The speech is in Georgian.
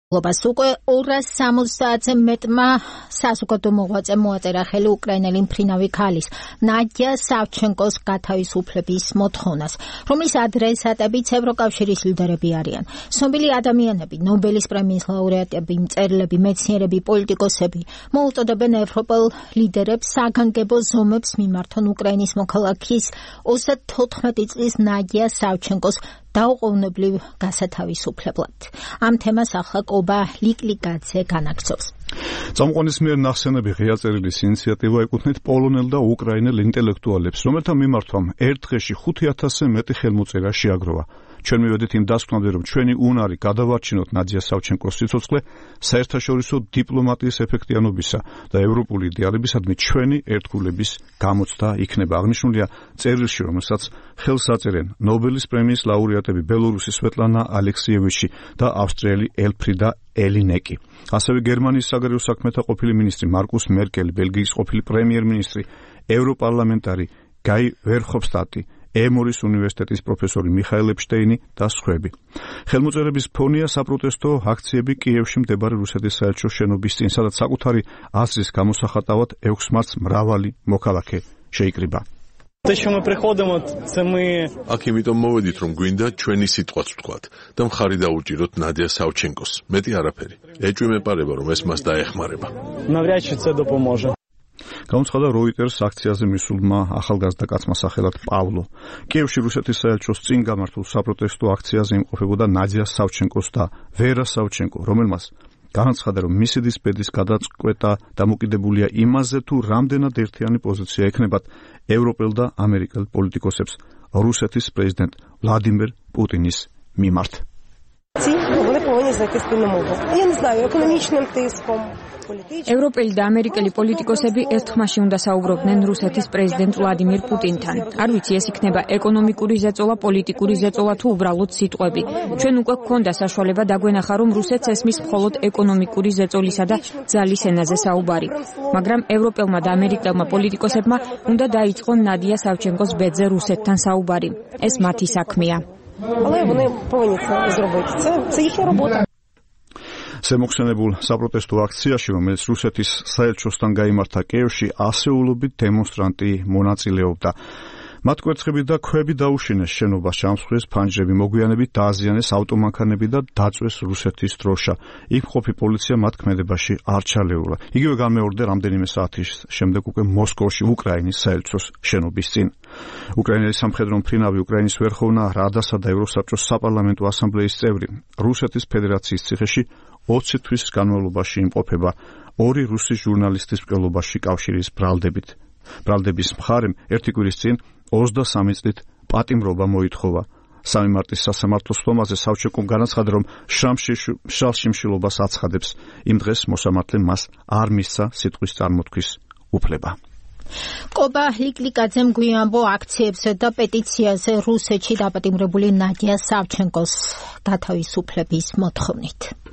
Globas უკვე 270-ზე მეტმა საზოგადო მოღვაწემ მოაწერა ხელი უკრაინელი მფრინავი ქალის ნადია სავჩენკოს გათავისუფლების მოთხოვნას, რომლის ადრესატებიც ევროკავშირის ლიდერები არიან. Ცნობილი ადამიანები, ნობელის პრემიის ლაურეატები, მწერლები, მეცნიერები, პოლიტიკოსები მოუწოდებენ ევროპელ ლიდერებს საგანგებო ზომებს მიმართონ უკრაინის მოქალაქის 34 წლის ნადია სავჩენკოს დაუყოვნებლივ გასათავისუფლებლად. Ამ თემას ახლა კობა ლიკლიკაძე განაგრძობს. Წამყვანის მიერ ნახსენები ღია წერილის ინიციატივა ეკუთვნით პოლონელ და უკრაინელ ინტელექტუალებს, რომელთა მიმართვამ ერთ დღეში 5000-ზე მეტი ხელმოწერა შეაგროვა. Ჩვენ მივედით იმ დასკვნამდე, რომ ჩვენი უნარი გადავარჩინოთ ნადია სავჩენკოს სიცოცხლე საერთაშორისო დიპლომატიის ეფექტიანობისა და ევროპული იდეალებისადმი ჩვენი ერთგულების გამოცდა იქნება. აღნიშნულია წერილში, რომელსაც ხელს აწერენ ნობელის პრემიის ლაურეატები ბელორუსის სვეტლანა ალექსიევიჩი და ავსტრიელი ელფრიდა ელინეკი. ასევე გერმანიის საგარეო საქმეთა ყოფილი მინისტრი მარკუს მერკელი, ბელგიის ყოფილი პრემიერ-მინისტრი, ევროპარლამენტარი გაი ვერჰოფსტატი, ემორის უნივერსიტეტის პროფესორი მიხაილ ეპშტეინი და სხვები. ხელმოწერების ფონია საპროტესტო აქციები კიევში მდებარე რუსეთის საელჩოს შენობის წინ, სადაც საკუთარი აზრის გამოსახატავად 6 მარტს მრავალი მოქალაქე შეიკრიბა. აქ იმიტომ მოვედით, რომ გვინდა ჩვენი სიტყვაც ვთქვათ და მხარი დაუჭიროთ ნადია სავჩენკოს. მეტი არაფერი. ეჭვი მეპარება, რომ ეს მას დაეხმარება. Გამოცხადა როიტერს აქციაზე მისულმა ახალგაზრდა კაცმა სახელად პავლო. კიევში რუსეთის საელჩოს წინ გამართულ საპროტესტო აქციაზე იმყოფებოდა ნადია სავჩენკოს და ვერა სავჩენკო, რომელმაც განაცხადა, რომ მისი დისპედის გადაწყვეტა დამოკიდებულია იმაზე, თუ რამდენად ერთიანი პოზიცია ექნებათ ევროპელ და ამერიკელ პოლიტიკოსებს რუსეთის პრეზიდენტ ვლადიმერ პუტინის მიმართ. ევროპელი და ამერიკელი პოლიტიკოსები ერთხმაში უნდა საუბრობდნენ რუსეთის პრეზიდენტ ვლადიმირ პუტინთან. არ ვიცი, ეს იქნება ეკონომიკური ზეწოლა, პოლიტიკური ზეწოლა თუ უბრალოდ სიტყვები. ჩვენ უკვე გვქონდა საშუალება დაგვენახა, რომ რუსეთს ესმის მხოლოდ ეკონომიკური ზეწოლისა და ძალის ენაზე საუბარი. მაგრამ ევროპელმა და ამერიკელმა პოლიტიკოსებმა უნდა დაიწყონ ნადია სავჩენკოს ბედზე რუსეთთან საუბარი. ეს მათი საქმეა. შემოხსენებულ საპროტესტო აქციაში, რომელიც რუსეთის საელჩოსთან გაიმართა კიევში, ასეულობით დემონსტრანტი მონაწილეობდა. მათ კვერცხები და ქვები დაუშინეს შენობას, ჩამსხვრეს ფანჯრები, მოგვიანებით დააზიანეს ავტომანქანები და დაწვეს რუსეთის დროშა. იქ მყოფი პოლიცია მათ ქმედებაში არ ჩალეულა. იგივე განმეორდა რამდენიმე საათის შემდეგ უკვე მოსკოვში, უკრაინის საელჩოს შენობის წინ. უკრაინელი სამხედრო მფრინავი, უკრაინის ვერხოვნა რადასა და ევროსაბჭოს საპარლამენტო ასამბლეის წევრი, რუსეთის ფედერაციის ციხეში 20 თვის განმავლობაში იმყოფება 2 რუსი ჟურნალისტის მკვლელობაში კავშირის ბრალდებით. ბრალდების მხარემ ერთი კვირის წინ 23 წლით პატიმრობა მოითხოვა. 3 მარტის სასამართლო სხდომაზე სავჩენკომ განაცხადა, რომ შრალშიმშილობას აცხადებს. იმ დღეს მოსამართლემ მას არ მისცა სიტყვის წარმოთქვის უფლება. კობა ლიკლიკაძემ გვიამბო აქციებზე და პეტიციაზე რუსეთში დაპატიმრებული ნადია სავჩენკოს გათავისუფლების მოთხოვნით.